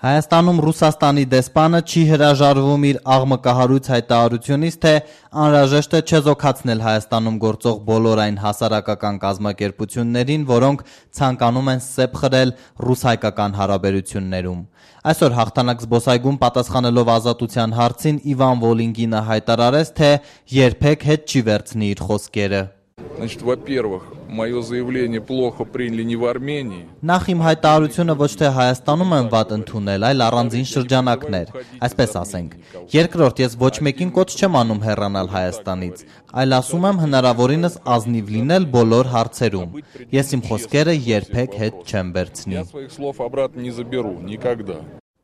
Հայաստանում Ռուսաստանի դեսպանը չի հրաժարվում իր աղմկահարույց հայտարարությունից, թե անհրաժեշտ է չեզոքացնել Հայաստանում գործող բոլոր այն հասարակական կազմակերպություններին, որոնք ցանկանում են սեպ խրել ռուս-հայկական հարաբերություններում։ Այսօր հաղթանակ զբոսայգում պատասխանելով Ազատության հարցին Իվան Վոլինգինը հայտարարեց, թե երբեք հետ չի վերցնի իր խոսքերը։ Значит, во-первых, мое заявление плохо приняли не в Армении. Նախ իմ հայտարարությունը ոչ թե Հայաստանում եմ վատ ընդունել, այլ առանձին շրջանակներ, այսպես ասենք։ Երկրորդ, ես ոչ մեկին կոչ չեմ անում հեռանալ Հայաստանից, այլ ասում եմ հնարավորինս ազնիվ լինել բոլոր հարցերում։ Ես իմ խոսքերը երբեք հետ չեմ վերցնի։ Я своих слов обратно не заберу, никогда.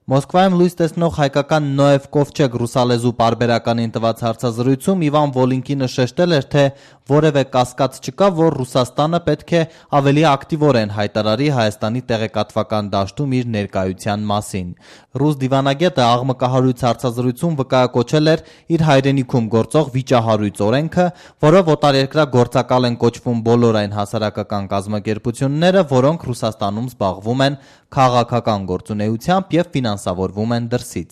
Մոսկվայում լույս տեսնող հայկական Նոև Կովչեկ ռուսալեզու պարբերականին տված հարցազրույցում Իվան Վոլինկինը շեշտել էր, թե որևէ կասկած չկա, որ Ռուսաստանը պետք է ավելի ակտիվորեն հայտարարի Հայաստանի տեղեկատվական դաշտում իր ներկայության մասին։ Ռուս դիվանագետը աղմկահարույց հարցազրույցում վկայակոչել էր իր հայրենիքում գործող վիճահարույց օրենքը, որով օտարերկրյա գործակալ են կոչվում բոլոր այն հասարակական կազմակերպությունները, որոնք Ռուսաստանում զբաղվում են քաղաքական գործունեությամբ եւ ֆինանսավորվում են դրսից։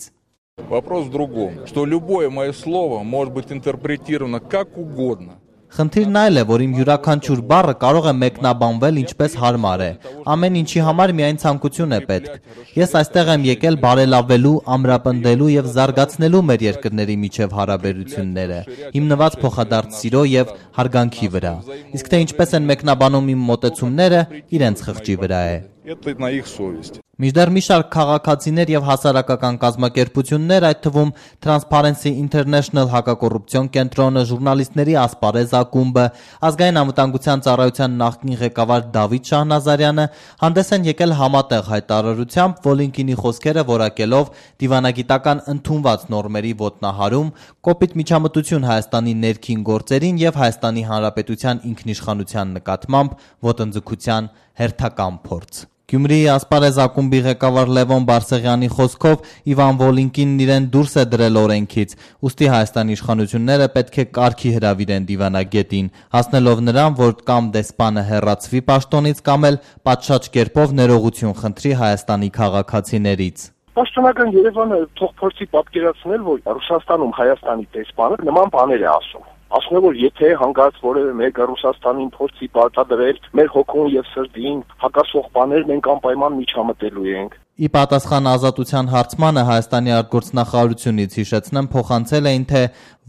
Вопрос в другом, что любое мое слово может быть интерпретировано как угодно. Խնդիրն այլ է, որ իմ յուրաքանչյուր բառը կարող է մեկնաբանվել ինչպես հարմար է։ Ամեն ինչի համար միայն ցանկություն է պետք։ Ես այստեղ եմ եկել բարելավելու, ամրապնդելու եւ զարգացնելու մեր երկրների միջև հարաբերությունները, հիմնված փոխադարձ սիրո եւ հարգանքի վրա։ Իսկ թե ինչպես են մեկնաբանում իմ մոտեցումները, իրենց խղճի վրա է։ Это на их совести. Մինչդեռ մի շարք քաղաքացիներ եւ հասարակական կազմակերպություններ, այդ թվում Transparency International հակակոռուպցիոն կենտրոնը, ժուրնալիստների ասպարեզ ակումբը, ազգային անվտանգության ծառայության նախկին ղեկավար Դավիթ Շահնազարյանը հանդես են եկել համատեղ հայտարարությամբ, Վոլինկինի խոսքերը որակելով դիվանագիտական ընդունված նորմերի ոտնահարում, կոպիտ միջամտություն Հայաստանի ներքին գործերին եւ Հայաստանի Հանրապետության ինքնիշխանության նկատմամբ ոտնձգության հերթական փորձ։ Գյումրիի ասպարեզ ակումբի ղեկավար Լևոն Բարսեղյանի խոսքով Իվան Վոլինկինն իրեն դուրս է դրել օրենքից, ուստի Հայաստանի իշխանությունները պետք է կարգի հրավիրեն դիվանագետին, հասնելով նրան, որ կամ դեսպանը հեռացվի պաշտոնից, կամ էլ պատշաճ կերպով ներողություն խնդրի Հայաստանի քաղաքացիներից։ Պաշտոնական Երևանը թող փորձի պատկերացնել, որ Ռուսաստանում Հայաստանի դեսպանը նման բաներ է ասում։ Ասում է, որ եթե հանգած որևէ մեկը Ռուսաստանին փորձի պարտադրել մեր հոգուն եւ սրտին հակասող բաներ, մենք անպայման միջամտելու ենք։ Ի պատասխան Ազատության հարցմանը Հայաստանի արտգործնախարարությունից հիշեցնեմ փոխանցել էին, թե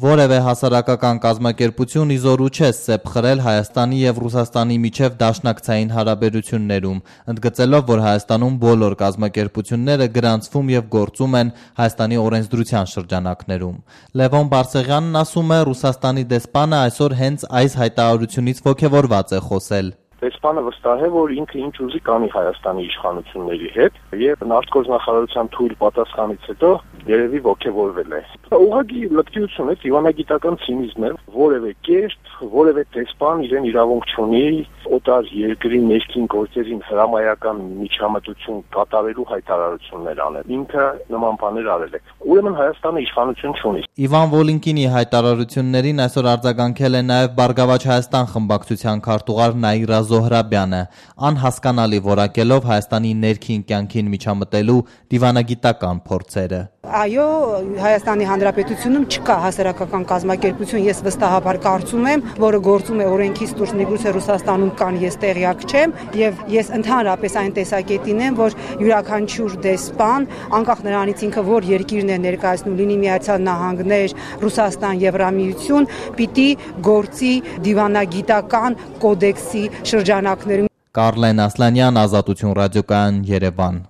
որևէ հասարակական կազմակերպություն իզորու չէ սեպ խրել Հայաստանի եւ Ռուսաստանի միջև դաշնակցային հարաբերություններում, ընդգծելով, որ Հայաստանում բոլոր կազմակերպությունները գրանցվում եւ գործում են Հայաստանի օրենսդրության շրջանակներում։ Լևոն Բարսեղյանն ասում է, Ռուսաստանի դեսպանը այսօր հենց այս հայտարարությունից ոգևորված է խոսել։ Դեսպանը վստահ է, որ ինքը ինչ ուզի կանի Հայաստանի իշխանությունների հետ եւ արտգործնախարարության թույլ պատասխանից հետո երևի ոգևորվել է։ Ուղղակի լկտիություն է, դիվանագիտական ցինիզմ է, որևէ կերպ, որևէ դեսպան իրեն իրավունք չունի օտար երկրի ներքին գործերին հրամայական միջամտություն կատարելու հայտարարություններ անել։ Ինքը նման բաներ արել է։ Ուրեմն Հայաստանը իշխանություն չունի։ Իվան Վոլինկինի հայտարարություններին այսօր արձագանքել է նաեւ Բարգավաճ Հայաստան խմբակցության քարտուղար Նաիրա Զոհրաբյանը, անհասկանալի որակելով Հայաստանի ներքին կյանքին միջամտելու դիվանագիտական փորձերը։ Այո, Հայաստանի Հանրապետությունում չկա հասարակական կազմակերպություն, ես վստահաբար կարծում եմ, որը գործում է օրենքից դուրս, միգուցե Ռուսաստանում կան, ես տեղյակ չեմ, եւ ես ընդհանրապես այն տեսակետին եմ, որ յուրաքանչյուր դեսպան, անկախ նրանից ինքը որ երկիրն է ներկայացնում, լինի Միացյալ Նահանգներ, Ռուսաստան, Եվրամիություն, պիտի գործի դիվանագիտական կոդեքսի շրջանակներում։ Կարլեն Ասլանյան, Ազատություն ռադիոկայան, Երևան։